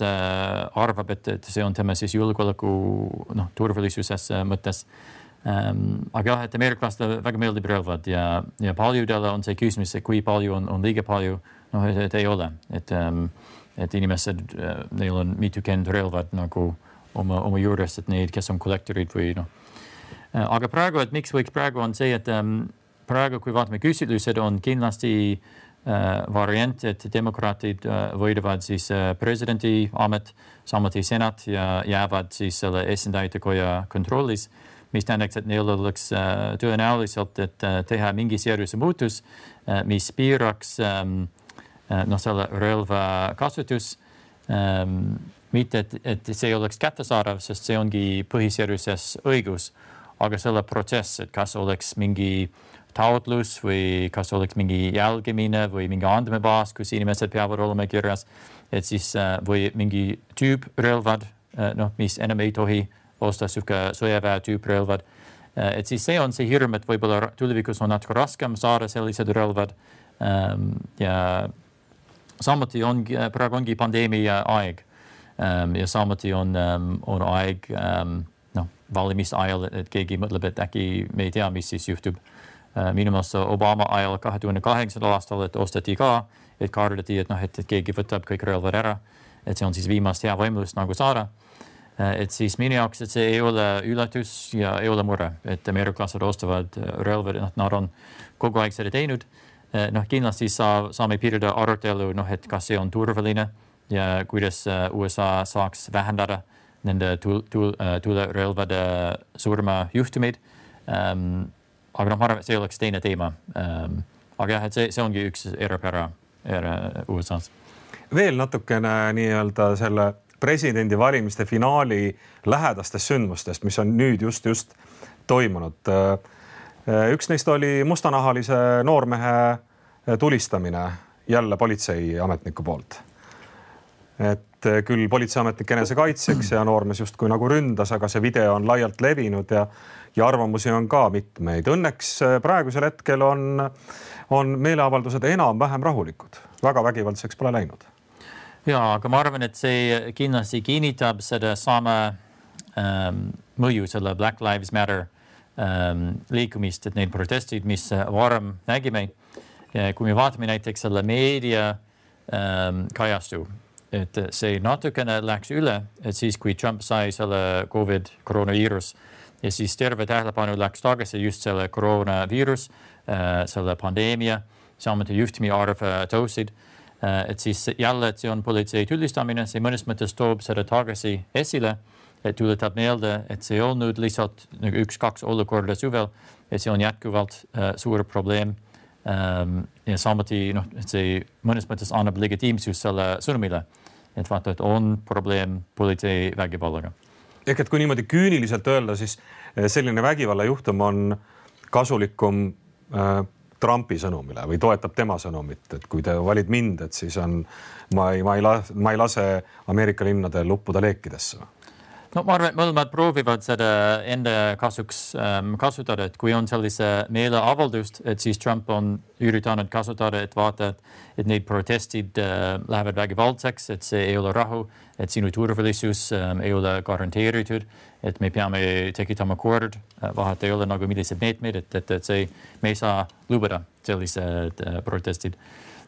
arvab, et, et see on tema siis julgeoleku noh, turvalisuses mõttes. Ähm, aga jah, et ameeriklastele väga meeldib relvad ja, ja paljudele on see küsimus, et kui palju on, on liiga palju, noh, et, et ei ole, et, ähm, et inimesed, neil on mitukümmend relvad nagu oma, oma juures, et neid, kes on kollektorid või noh. Aga praegu, et miks võiks praegu on see, et ähm, praegu, kui vaatame küsitlused, on kindlasti Uh, variant, et demokraatid uh, võidavad siis uh, presidendi amet, samuti senat ja jäävad siis selle esindajate koja kontrollis, mis tähendaks, et neil oleks uh, tõenäoliselt, et uh, teha mingi seaduse muutus, uh, mis piiraks um, uh, no, selle relva kasutus. Um, mitte, et, et see oleks kättesaadav, sest see ongi põhiseaduses õigus, aga selle protsess, et kas oleks mingi taotlus või kas oleks mingi jälgimine või mingi andmebaas, kus inimesed peavad olema kirjas, et siis või mingi tüüp relvad, noh, mis enam ei tohi osta suhke sõjaväe tüüp relvad. Et siis see on see hirm, et võib-olla tulevikus on natuke raskem saada sellised relvad. Ja samuti on, praegu ongi pandeemia aeg ja samuti on, on aeg noh, valimis ajal, et keegi mõtleb, et äkki me ei tea, mis siis juhtub. Minu meelest Obama ajal kahe tuhande kaheksandal aastal, et ostati ka, et kardeti, et, noh, et, et keegi võtab kõik relvad ära, et see on siis viimast hea võimalust nagu saada. Et siis minu jaoks, et see ei ole üllatus ja ei ole mure, et ameeriklased ostavad relvad, noh, nad on kogu aeg seda teinud. Noh, kindlasti saa, saame piirida arutelu, noh, et kas see on turvaline ja kuidas U S A saaks vähendada nende tulerelvade surma juhtumeid. Um, Aga noh, ma arvan, et see oleks teine teema. Ähm, aga jah, et see, see ongi üks erapära U S A-s. Veel natukene nii-öelda selle presidendi valimiste finaali lähedastest sündmustest, mis on nüüd just just toimunud. Üks neist oli mustanahalise noormehe tulistamine jälle politseiametniku poolt. Et küll politseiametnik enesekaitseks ja noormees just kui nagu ründas, aga see video on laialt levinud ja ja arvamusi on ka mitmeid. Õnneks praegusel hetkel on, on meeleavaldused enam-vähem rahulikud. Väga vägivaldseks pole läinud. Ja, aga ma arvan, et see kindlasti kinnitab seda sama ähm, mõju selle Black Lives Matter ähm, liikumist, et need protestid, mis varem nägime. Ja kui me vaatame näiteks selle meedia ähm, kajastu, et see natukene läks üle, et siis kui Trump sai selle COVID koroonaviirus, ja siis terve tähelepanu läks tagasi just selle koroonaviirus, selle pandeemia, samuti juhtumi arv tõusid. Et siis jälle, et see on politsei tulistamine, see mõnes mõttes toob seda tagasi esile, et tuletab meelde, et see on nüüd lihtsalt üks-kaks olukorda suvel, et see on jätkuvalt suur probleem. Ja samuti, noh, et see mõnes mõttes annab legitiimsus selle sõnumile, et vaata, et on probleem politsei vägivallaga. Ehk et kui niimoodi küüniliselt öelda, siis selline vägivallajuhtum on kasulikum äh, Trumpi sõnumile või toetab tema sõnumit, et kui te valid mind, et siis on, ma ei, ma ei, lase, ma ei lase Ameerika linnadel uppuda leekidesse. No ma arvan, et mõlemad proovivad seda enda kasuks ähm, kasutada, et kui on sellise meeleavaldust, et siis Trump on üritanud kasutada, et vaata, et need protestid äh, lähevad vägivaldseks, et see ei ole rahu, et sinu turvalisus ähm, ei ole garanteeritud, et me peame tekitama kord, vahet ei ole nagu millised meetmed, et, et, et see, me ei saa lubada sellised äh, protestid.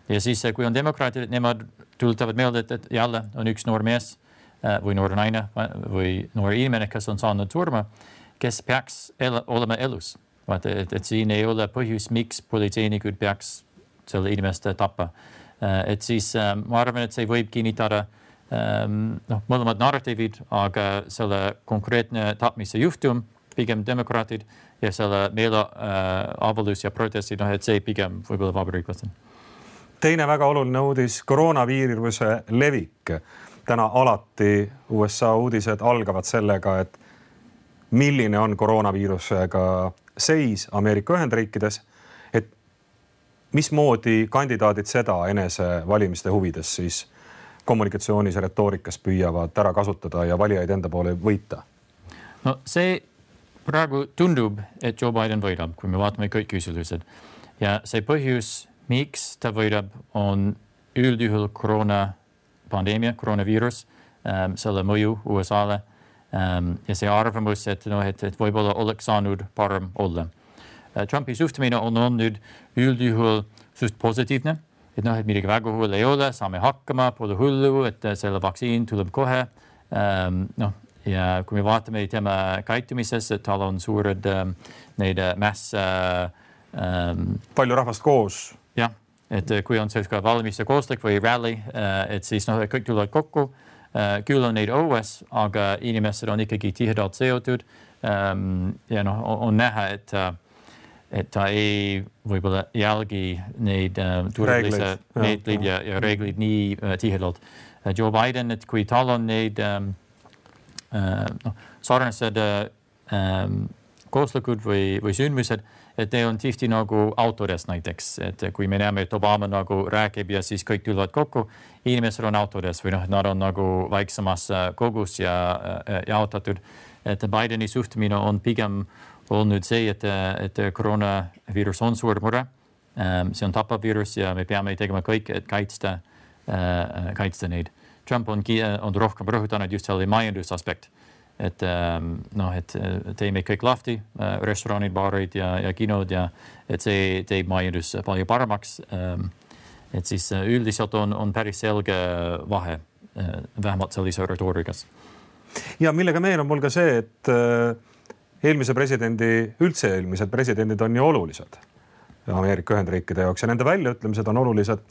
Ja siis, kui on demokraatid, nemad tuletavad meelde, et, et jälle on üks noor mees, või noor naine või noor inimene, kes on saanud surma, kes peaks el olema elus. Vaata, et, et siin ei ole põhjus, miks politseinikud peaks selle inimeste tappa. Et siis ma arvan, et see võib kinnitada noh, mõlemad narratiivid, aga selle konkreetne tapmise juhtum, pigem demokraatid ja selle meeleavaldus ja protestid, noh, et see pigem võib-olla vabariiklased. Teine väga oluline uudis, koroonaviiruse levik. Täna alati U S A uudised algavad sellega, et milline on koroonaviirusega seis Ameerika Ühendriikides, et mismoodi kandidaadid seda enese valimiste huvides siis kommunikatsioonis ja retoorikas püüavad ära kasutada ja valijaid enda poole võita? No see praegu tundub, et Joe Biden võidab, kui me vaatame kõik küsimused. Ja see põhjus, miks ta võidab, on üldjuhul koroona pandeemia, koroonaviirus, ähm, selle mõju U S A-le ähm, ja see arvamus, et, no, et, et võib-olla oleks saanud parem olla. Äh, Trumpi suhtumine on olnud üldjuhul suht positiivne, et, no, et midagi väga hull ei ole, saame hakkama, pole hullu, et selle vaktsiin tuleb kohe. Ähm, no, ja kui me vaatame tema käitumises, et tal on suured ähm, neid mäss... Ähm, palju rahvast koos. Jah, et kui on selline valmis ja kooslik või rally, et siis no, kõik tulevad kokku. Küll on neid õues, aga inimesed on ikkagi tihedalt seotud. Ja no, on näha, et, et ta ei võib-olla jälgi neid turvalise meetleid ja, ja reeglid nii tihedalt. Joe Biden, et kui tal on neid no, sarnased kooslikud või, või sündmused, et ne on tihti nagu autodes näiteks, et kui me näeme, et Obama nagu räägib ja siis kõik tulevad kokku, inimesed on autodes või noh, nad on nagu väiksemas kogus ja jaotatud. Et Bideni suhtumine on pigem olnud see, et, et koroonaviirus on suur mure. See on tapav viirus ja me peame tegema kõik, et kaitsta, kaitsta neid. Trump on, on rohkem rõhutanud just selle majandusaspekt. Et, no, et teeme kõik lahti, restoranid, baarid ja, ja kinod ja et see teeb majandus palju paremaks. Et siis üldiselt on, on päris selge vahe, vähemalt sellise retoorikas. Ja millega meenub mul ka see, et eelmise presidendi, üldse eelmised presidendid on ju olulised Ameerika Ühendriikide jaoks ja nende väljaütlemised on olulised.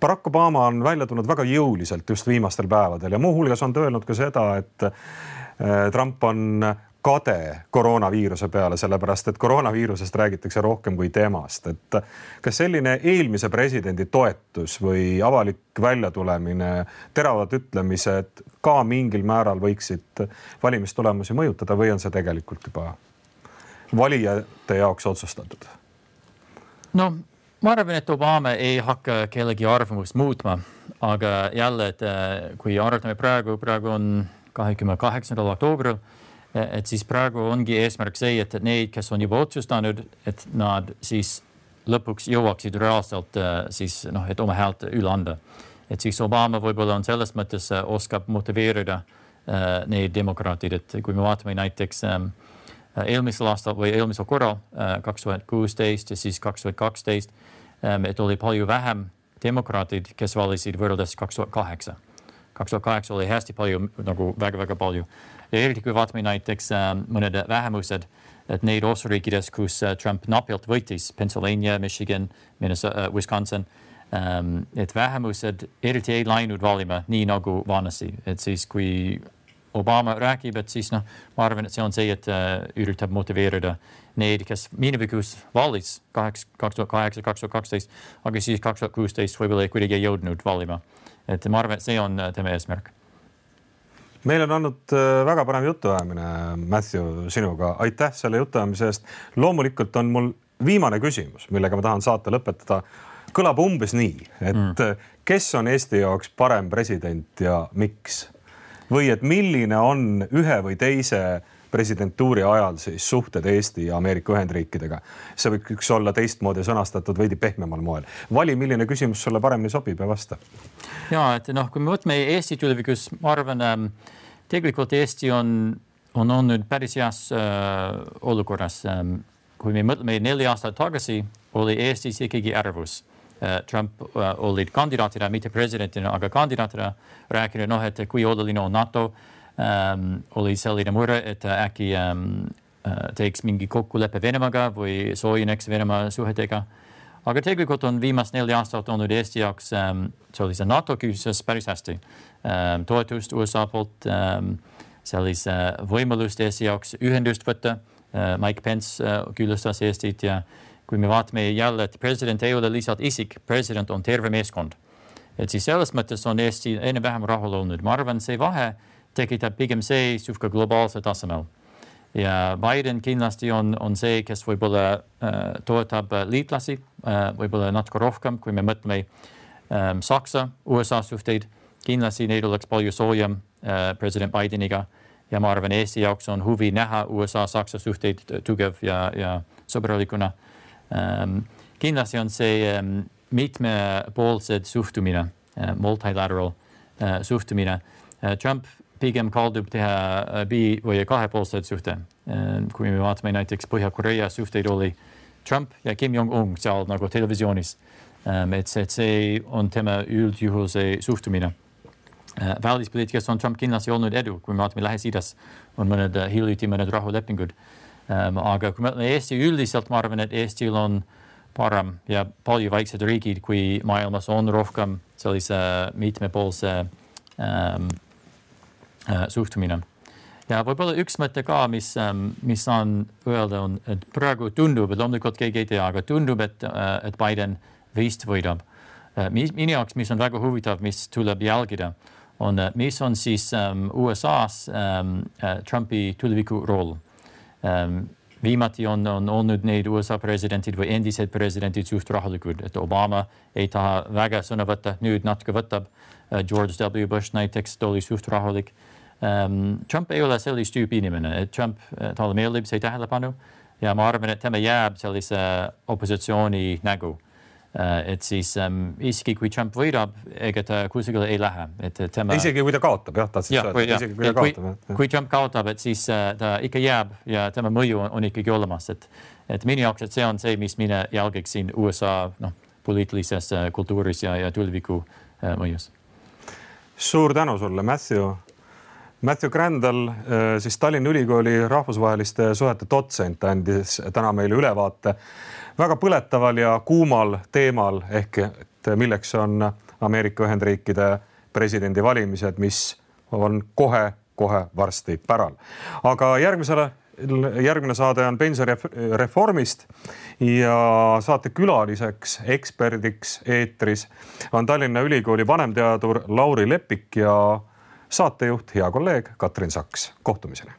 Barack Obama on välja tulnud väga jõuliselt just viimastel päevadel ja muu hulgas on ta öelnud ka seda, et Trump on kade koroonaviiruse peale, sellepärast et koroonaviirusest räägitakse rohkem kui temast. Et kas selline eelmise presidendi toetus või avalik väljatulemine, teravad ütlemised ka mingil määral võiksid valimistulemusi mõjutada või on see tegelikult juba valijate jaoks otsustatud? No, ma arvan, et Obama ei hakka kellegi arvamust muutma, aga jälle, et kui arvatame praegu, praegu on kahekümne kaheksandal oktoobril, et siis praegu ongi eesmärk see, et need, kes on juba otsustanud, et nad siis lõpuks jõuaksid reaalselt siis, noh, et oma häält üle anda. Et siis Obama võib-olla on selles mõttes oskab motiveerida neid demokraatid, et kui me vaatame näiteks eelmisel aastal või eelmisel korral kaks tuhat kuusteist ja siis kaks tuhat kaksteist, et oli palju vähem demokraatid, kes valisid võrreldes kaks tuhat kaheksa. kaks tuhat kaheksa oli hästi palju, nagu väga-väga palju. Ja eriti kui vaatame näiteks mõned vähemused, et neid osariikides, kus Trump napilt võitis, Pennsylvania, Michigan, Minnesota, Wisconsin, et vähemused eriti ei läinud valima nii nagu vanasti. Et siis kui Obama räägib, et siis no, ma arvan, et see on see, et üritab motiveerida neid, kes minevikus valis kaks tuhat kaheksa, kaks tuhat kaksteist, aga siis kaks tuhat kuusteist võib-olla kuidagi ei jõudnud valima. Et ma arvan, et see on tema eesmärk. Meil on olnud väga parem jutuajamine, Matthew, sinuga. Aitäh selle jutuajamise eest. Loomulikult on mul viimane küsimus, millega ma tahan saate lõpetada. Kõlab umbes nii, et mm. kes on Eesti jaoks parem president ja miks? Või et milline on ühe või teise presidentuuri ajal siis suhted Eesti ja Ameerika Ühendriikidega. See võiks olla teistmoodi sõnastatud veidi pehmemal moel. Vali, milline küsimus sulle paremini sobib ja vasta. Ja, et noh, kui me võtame Eesti tulevikus, ma arvan, tegelikult Eesti on, on olnud päris heas äh, olukorras. Kui me mõtleme neli aastat tagasi, oli Eestis ikkagi ärvus. Trump uh, olid kandidaatida, mitte presidentina, aga kandidaatida rääkinud, noh, et kui oluline on NATO, um, oli selline mure, et äkki um, teeks mingi kokkuleppe Venemaaga või soojeneks Venemaa suhetega. Aga tegelikult on viimast neli aastat olnud Eesti jaoks um, sellise NATO küsimuses päris hästi. Um, toetust U S A poolt, um, sellise võimalust Eesti jaoks ühendust võtta. Uh, Mike Pence uh, külastas Eestit ja kui me vaatame jälle, et president ei ole lihtsalt isik, president on terve meeskond. Et siis selles mõttes on Eesti enne vähem rahul olnud. Ma arvan, see vahe tekitab pigem see suhka globaalse tasemel. Ja Biden kindlasti on, on see, kes võib-olla äh, toetab liitlasi, äh, võib-olla natuke rohkem, kui me mõtleme ähm, Saksa, U S A suhteid. Kindlasti neid oleks palju soojem äh, president Bideniga. ja ma arvan, Eesti jaoks on huvi näha U S A-Saksa suhteid tugev ja, ja sõbralikuna. Kindlasti on see mitmepoolsed suhtumine, multilateral suhtumine. Trump pigem kaldub teha bi- või kahepoolsed suhte. Kui me vaatame näiteks Põhja-Korea suhteid oli Trump ja Kim Jong-un seal nagu televisioonis. Et see, et see on tema üldjuhul see suhtumine. Välispoliitikas on Trump kindlasti olnud edu, kui me vaatame Lähis-Idas on mõned hiljuti mõned rahulepingud. Aga kui me Eesti üldiselt, ma arvan, et Eestil on parem ja palju väiksed riigid, kui maailmas on rohkem sellise mitmepoolse ähm, äh, suhtumine. Ja võib-olla üks mõte ka, mis, mis saan öelda on, et praegu tundub, et loomulikult keegi ei tea, aga tundub, et, et Biden vist võidab. Minu jaoks, mis on väga huvitav, mis tuleb jälgida, on, mis on siis um, U S A-s um, Trumpi tuleviku roll. Um, viimati on, on olnud neid U S A presidentid või endised presidentid suht rahulikud, et Obama ei taha väga sõna võtta, nüüd natuke võtab. George W. Bush näiteks oli suht rahulik. Um, Trump ei ole sellist tüüpi inimene, et Trump, talle meeldib see tähelepanu ja ma arvan, et tema jääb sellise opositsiooni nägu. Uh, et siis um, isegi kui Trump võidab, ega ta kuskile ei lähe. Et tema... Isegi kui ta kaotab, jah, tahtsid ja, öelda. Ja, isegi kui ta kui, kaotab. Kui, kui Trump kaotab, et siis uh, ta ikka jääb ja tema mõju on, on ikkagi olemas. Et, et minu jaoks, et see on see, mis mina jälgiksin U S A no, poliitilises uh, kultuuris ja, ja tuleviku uh, mõjus. Suur tänu sulle, Matthew. Matthew Crandall, siis Tallinna Ülikooli rahvusvaheliste suhete dotsent, andis täna meile ülevaate väga põletaval ja kuumal teemal, ehk et milleks on Ameerika Ühendriikide presidendi valimised, mis on kohe, kohe varsti päral. Aga järgmisele, järgmine saade on pensionireformist ja saate külaliseks, eksperdiks eetris on Tallinna Ülikooli vanemteadur Lauri Lepik ja saatejuht, hea kolleeg Katrin Saks. Kohtumiseni.